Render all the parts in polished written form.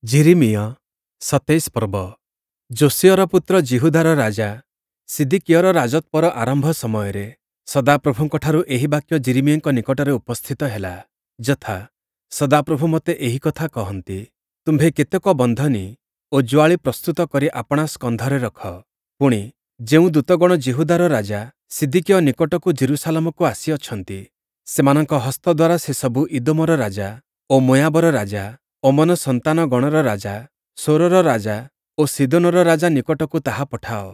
ଯିରିମିୟ 27 ପର୍ବ। ଯୋଶୀୟର ପୁତ୍ର ଯିହୁଦାର ରାଜା ସିଦିକିୟର ରାଜତ୍ଵର ଆରମ୍ଭ ସମୟରେ ସଦାପ୍ରଭୁଙ୍କଠାରୁ ଏହି ବାକ୍ୟ ଯିରିମିୟଙ୍କ ନିକଟରେ ଉପସ୍ଥିତ ହେଲା, ଯଥା, ସଦାପ୍ରଭୁ ମୋତେ ଏହି କଥା କହନ୍ତି, ତୁମ୍ଭେ କେତେକ ବନ୍ଧନୀ ଓ ଯୁଆଳି ପ୍ରସ୍ତୁତ କରି ଆପଣା ସ୍କନ୍ଧରେ ରଖ। ପୁଣି, ଯେଉଁ ଦୂତଗଣ ଯିହୁଦାର ରାଜା ସିଦିକିୟ ନିକଟକୁ ଯିରୂଶାଲମକୁ ଆସିଅଛନ୍ତି, ସେମାନଙ୍କ ହସ୍ତ ଦ୍ୱାରା ସେସବୁ ଇଦୋମର ରାଜା ଓ ମୋୟାବର ରାଜା, ଅମ୍ମୋନ ସନ୍ତାନଗଣର ରାଜା, ସୋରର ରାଜା ଓ ସୀଦୋନର ରାଜା ନିକଟକୁ ତାହା ପଠାଅ।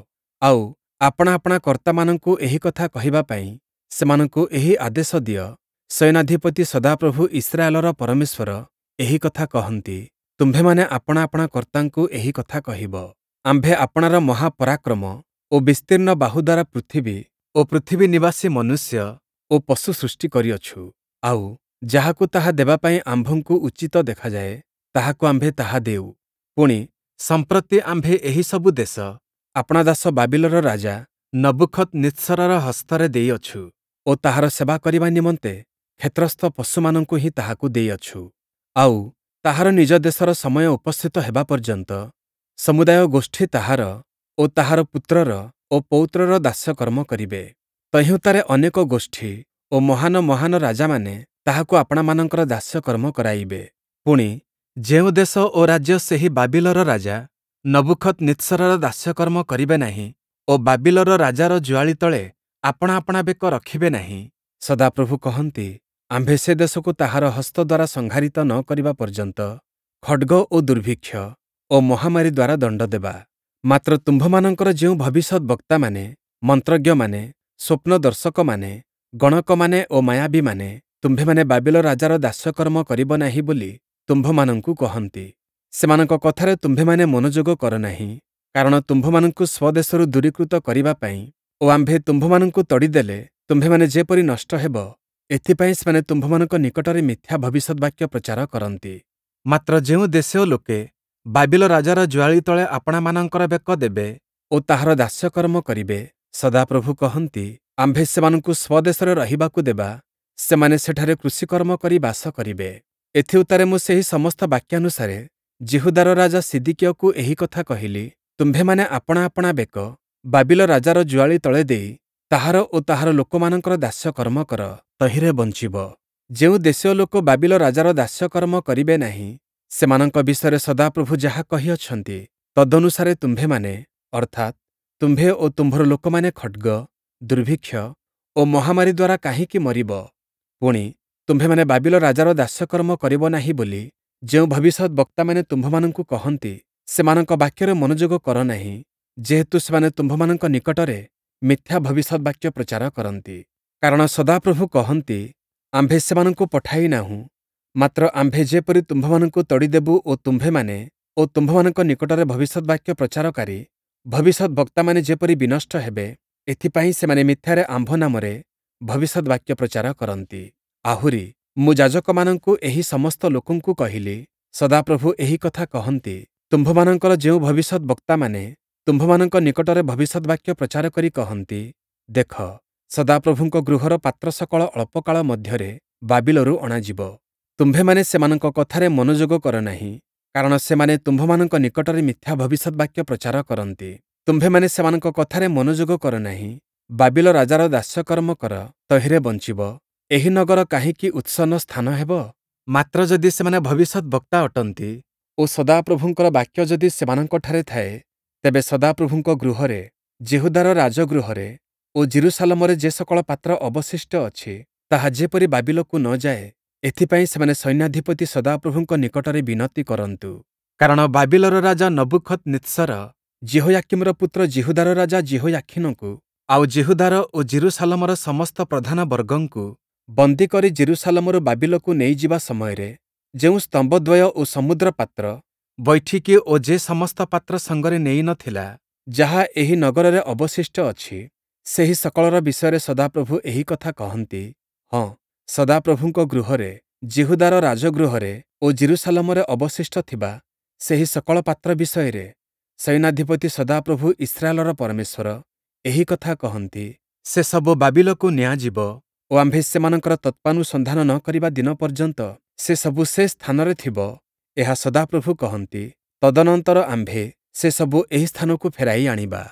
ଆଉ, ଆପଣା ଆପଣା କର୍ତ୍ତାମାନଙ୍କୁ ଏହି କଥା କହିବା ପାଇଁ ସେମାନଙ୍କୁ ଏହି ଆଦେଶ ଦିଅ, ସୈନ୍ୟାଧିପତି ସଦାପ୍ରଭୁ ଇସ୍ରାଏଲର ପରମେଶ୍ୱର ଏହି କଥା କହନ୍ତି, ତୁମ୍ଭେମାନେ ଆପଣା ଆପଣା କର୍ତ୍ତାଙ୍କୁ ଏହି କଥା କହିବ। ଆମ୍ଭେ ଆପଣାର ମହାପରାକ୍ରମ ଓ ବିସ୍ତୀର୍ଣ୍ଣ ବାହୁ ଦ୍ୱାରା ପୃଥିବୀ ଓ ପୃଥିବୀ ନିବାସୀ ମନୁଷ୍ୟ ଓ ପଶୁ ସୃଷ୍ଟି କରିଅଛୁ। ଆଉ, ଯାହାକୁ ତାହା ଦେବା ପାଇଁ ଆମ୍ଭଙ୍କୁ ଉଚିତ ଦେଖାଯାଏ, ତାହାକୁ ଆମ୍ଭେ ତାହା ଦେଉ। ପୁଣି, ସମ୍ପ୍ରତି ଆମ୍ଭେ ଏହି ସବୁ ଦେଶ ଆପଣା ଦାସ ବାବିଲର ରାଜା ନବୂଖଦନିତ୍ସରର ହସ୍ତରେ ଦେଇଅଛୁ ଓ ତାହାର ସେବା କରିବା ନିମନ୍ତେ କ୍ଷେତ୍ରସ୍ଥ ପଶୁମାନଙ୍କୁ ହିଁ ତାହାକୁ ଦେଇଅଛୁ। ଆଉ, ତାହାର ନିଜ ଦେଶର ସମୟ ଉପସ୍ଥିତ ହେବା ପର୍ଯ୍ୟନ୍ତ ସମୁଦାୟ ଗୋଷ୍ଠୀ ତାହାର ଓ ତାହାର ପୁତ୍ରର ଓ ପୌତ୍ରର ଦାସ୍ୟକର୍ମ କରିବେ। ତହିଁଉତ୍ତାରେ ଅନେକ ଗୋଷ୍ଠୀ ଓ ମହାନ ମହାନ ରାଜାମାନେ ତାହାକୁ ଆପଣାମାନଙ୍କର ଦାସ୍ୟକର୍ମ କରାଇବେ। ପୁଣି, ଯେଉଁ ଦେଶ ଓ ରାଜ୍ୟ ସେହି ବାବିଲର ରାଜା ନବୂଖଦନିତ୍ସରର ଦାସ୍ୟକର୍ମ କରିବେ ନାହିଁ ଓ ବାବିଲର ରାଜାର ଯୁଆଳି ତଳେ ଆପଣା ଆପଣା ବେକ ରଖିବେ ନାହିଁ, ସଦାପ୍ରଭୁ କହନ୍ତି, ଆମ୍ଭେ ସେ ଦେଶକୁ ତାହାର ହସ୍ତ ଦ୍ୱାରା ସଂହାରିତ ନ କରିବା ପର୍ଯ୍ୟନ୍ତ ଖଡ଼୍ଗ ଓ ଦୁର୍ଭିକ୍ଷ ଓ ମହାମାରୀ ଦ୍ୱାରା ଦଣ୍ଡ ଦେବା। ମାତ୍ର ତୁମ୍ଭମାନଙ୍କର ଯେଉଁ ଭବିଷ୍ୟଦ୍‌ବକ୍ତାମାନେ, ମନ୍ତ୍ରଜ୍ଞମାନେ, ସ୍ୱପ୍ନଦର୍ଶକମାନେ, ଗଣକମାନେ ଓ ମାୟାବୀମାନେ, ତୁମ୍ଭେମାନେ ବାବିଲ ରାଜାର ଦାସ୍ୟକର୍ମ କରିବ ନାହିଁ ବୋଲି ତୁମ୍ଭମାନଙ୍କୁ କହନ୍ତି, ସେମାନଙ୍କ କଥାରେ ତୁମ୍ଭେମାନେ ମନୋଯୋଗ କର ନାହିଁ। କାରଣ ତୁମ୍ଭମାନଙ୍କୁ ସ୍ୱଦେଶରୁ ଦୂରୀକୃତ କରିବା ପାଇଁ ଓ ଆମ୍ଭେ ତୁମ୍ଭମାନଙ୍କୁ ତଡ଼ିଦେଲେ ତୁମ୍ଭେମାନେ ଯେପରି ନଷ୍ଟ ହେବ, ଏଥିପାଇଁ ସେମାନେ ତୁମ୍ଭମାନଙ୍କ ନିକଟରେ ମିଥ୍ୟା ଭବିଷ୍ୟଦ୍‌ବାକ୍ୟ ପ୍ରଚାର କରନ୍ତି। ମାତ୍ର ଯେଉଁ ଦେଶୀୟ ଲୋକେ ବାବିଲ ରାଜାର ଯୁଆଳି ତଳେ ଆପଣାମାନଙ୍କର ବେକ ଦେବେ ଓ ତାହାର ଦାସ୍ୟକର୍ମ କରିବେ, ସଦାପ୍ରଭୁ କହନ୍ତି, ଆମ୍ଭେ ସେମାନଙ୍କୁ ସ୍ୱଦେଶରେ ରହିବାକୁ ଦେବା, ସେମାନେ ସେଠାରେ କୃଷିକର୍ମ କରି ବାସ କରିବେ। ଏଥିଉତ୍ତାରେ ମୁଁ ସେହି ସମସ୍ତ ବାକ୍ୟାନୁସାରେ ଯିହୁଦାର ରାଜା ସିଦିକିୟକୁ ଏହି କଥା କହିଲି, ତୁମ୍ଭେମାନେ ଆପଣା ଆପଣା ବେକ ବାବିଲ ରାଜାର ଯୁଆଳି ତଳେ ଦେଇ ତାହାର ଓ ତାହାର ଲୋକମାନଙ୍କର ଦାସ୍ୟକର୍ମ କର, ତହିଁରେ ବଞ୍ଚିବ। ଯେଉଁ ଦେଶୀୟ ଲୋକ ବାବିଲ ରାଜାର ଦାସ୍ୟକର୍ମ କରିବେ ନାହିଁ, ସେମାନଙ୍କ ବିଷୟରେ ସଦାପ୍ରଭୁ ଯାହା କହିଅଛନ୍ତି, ତଦନୁସାରେ ତୁମ୍ଭେମାନେ, ଅର୍ଥାତ୍, ତୁମ୍ଭେ ଓ ତୁମ୍ଭର ଲୋକମାନେ ଖଡ଼୍ଗ, ଦୁର୍ଭିକ୍ଷ ଓ ମହାମାରୀ ଦ୍ୱାରା କାହିଁକି ମରିବ? ପୁଣି, ତୁମ୍ଭେମାନେ ବାବିଲ ରାଜାର ଦାସ୍ୟକର୍ମ କରିବ ନାହିଁ ବୋଲି ଯେଉଁ ଭବିଷ୍ୟଦ୍‌ବକ୍ତାମାନେ ତୁମ୍ଭମାନଙ୍କୁ କହନ୍ତି, ସେମାନଙ୍କ ବାକ୍ୟରେ ମନୋଯୋଗ କର ନାହିଁ, ଯେହେତୁ ସେମାନେ ତୁମ୍ଭମାନଙ୍କ ନିକଟରେ ମିଥ୍ୟା ଭବିଷ୍ୟଦ୍‌ବାକ୍ୟ ପ୍ରଚାର କରନ୍ତି। କାରଣ ସଦାପ୍ରଭୁ କହନ୍ତି, ଆମ୍ଭେ ସେମାନଙ୍କୁ ପଠାଇ ନାହୁଁ, ମାତ୍ର ଆମ୍ଭେ ଯେପରି ତୁମ୍ଭମାନଙ୍କୁ ତଡ଼ିଦେବୁ ଓ ତୁମ୍ଭେମାନେ ଓ ତୁମ୍ଭମାନଙ୍କ ନିକଟରେ ଭବିଷ୍ୟଦ୍‌ବାକ୍ୟ ପ୍ରଚାରକାରୀ ଭବିଷ୍ୟଦ୍‌ବକ୍ତାମାନେ ଯେପରି ବିନଷ୍ଟ ହେବେ, ଏଥିପାଇଁ ସେମାନେ ମିଥ୍ୟାରେ ଆମ୍ଭ ନାମରେ ଭବିଷ୍ୟଦ୍‌ବାକ୍ୟ ପ୍ରଚାର କରନ୍ତି। ଆହୁରି, ମୁଁ ଯାଜକମାନଙ୍କୁ ଏହି ସମସ୍ତ ଲୋକଙ୍କୁ କହିଲି, ସଦାପ୍ରଭୁ ଏହି କଥା କହନ୍ତି, ତୁମ୍ଭମାନଙ୍କର ଯେଉଁ ଭବିଷ୍ୟଦ୍‌ବକ୍ତାମାନେ ତୁମ୍ଭମାନଙ୍କ ନିକଟରେ ଭବିଷ୍ୟଦ୍‌ବାକ୍ୟ ପ୍ରଚାର କରି କହନ୍ତି, ଦେଖ, ସଦାପ୍ରଭୁଙ୍କ ଗୃହର ପାତ୍ର ସକଳ ଅଳ୍ପକାଳ ମଧ୍ୟରେ ବାବିଲରୁ ଅଣାଯିବ। ତୁମ୍ଭେମାନେ ସେମାନଙ୍କ କଥାରେ ମନୋଯୋଗ କର ନାହିଁ, କାରଣ ସେମାନେ ତୁମ୍ଭମାନଙ୍କ ନିକଟରେ ମିଥ୍ୟା ଭବିଷ୍ୟଦ୍‌ବାକ୍ୟ ପ୍ରଚାର କରନ୍ତି। ତୁମ୍ଭେମାନେ ସେମାନଙ୍କ କଥାରେ ମନୋଯୋଗ କର ନାହିଁ। ବାବିଲ ରାଜାର ଦାସ୍ୟକର୍ମ କର, ତହିଁରେ ବଞ୍ଚିବ। ଏହି ନଗର କାହିଁକି ଉତ୍ସନ୍ନ ସ୍ଥାନ ହେବ? ମାତ୍ର ଯଦି ସେମାନେ ଭବିଷ୍ୟଦ୍‌ବକ୍ତା ଅଟନ୍ତି ଓ ସଦାପ୍ରଭୁଙ୍କର ବାକ୍ୟ ଯଦି ସେମାନଙ୍କଠାରେ ଥାଏ, ତେବେ ସଦାପ୍ରଭୁଙ୍କ ଗୃହରେ, ଯିହୁଦାର ରାଜଗୃହରେ ଓ ଯିରୂଶାଲମରେ ଯେ ସକଳ ପାତ୍ର ଅବଶିଷ୍ଟ ଅଛି, ତାହା ଯେପରି ବାବିଲକୁ ନ ଯାଏ, ଏଥିପାଇଁ ସେମାନେ ସୈନ୍ୟାଧିପତି ସଦାପ୍ରଭୁଙ୍କ ନିକଟରେ ବିନତି କରନ୍ତୁ। କାରଣ ବାବିଲର ରାଜା ନବୂଖଦନିତ୍ସର ଯିହୋୟାକୀମର ପୁତ୍ର ଯିହୁଦାର ରାଜା ଯିହୋୟାଖୀନକୁ ଆଉ ଯିହୁଦାର ଓ ଯିରୂଶାଲମର ସମସ୍ତ ପ୍ରଧାନ ବର୍ଗଙ୍କୁ ବନ୍ଦୀ କରି ଯିରୂଶାଲମରୁ ବାବିଲକୁ ନେଇଯିବା ସମୟରେ ଯେଉଁ ସ୍ତମ୍ଭଦ୍ୱୟ ଓ ସମୁଦ୍ର ପାତ୍ର ବୈଠିକୀ ଓ ଯେ ସମସ୍ତ ପାତ୍ର ସଙ୍ଗରେ ନେଇ ନ ଥିଲା, ଯାହା ଏହି ନଗରରେ ଅବଶିଷ୍ଟ ଅଛି, ସେହି ସକଳର ବିଷୟରେ ସଦାପ୍ରଭୁ ଏହି କଥା କହନ୍ତି, ହଁ, ସଦାପ୍ରଭୁଙ୍କ ଗୃହରେ, ଯିହୁଦାର ରାଜଗୃହରେ ଓ ଯିରୂଶାଲମରେ ଅବଶିଷ୍ଟ ଥିବା ସେହି ସକଳ ପାତ୍ର ବିଷୟରେ ସୈନ୍ୟାଧିପତି ସଦାପ୍ରଭୁ ଇସ୍ରାଏଲର ପରମେଶ୍ୱର ଏହି କଥା କହନ୍ତି, ସେସବୁ ବାବିଲକୁ ନିଆଯିବ ଓ ଆମ୍ଭେ ସେମାନଙ୍କର ତତ୍ତ୍ୱାନୁସନ୍ଧାନ ନ କରିବା ଦିନ ପର୍ଯ୍ୟନ୍ତ ସେସବୁ ସେ ସ୍ଥାନରେ ଥିବ। ଏହା ସଦାପ୍ରଭୁ କହନ୍ତି, ତଦନନ୍ତର ଆମ୍ଭେ ସେସବୁ ଏହି ସ୍ଥାନକୁ ଫେରାଇ ଆଣିବା।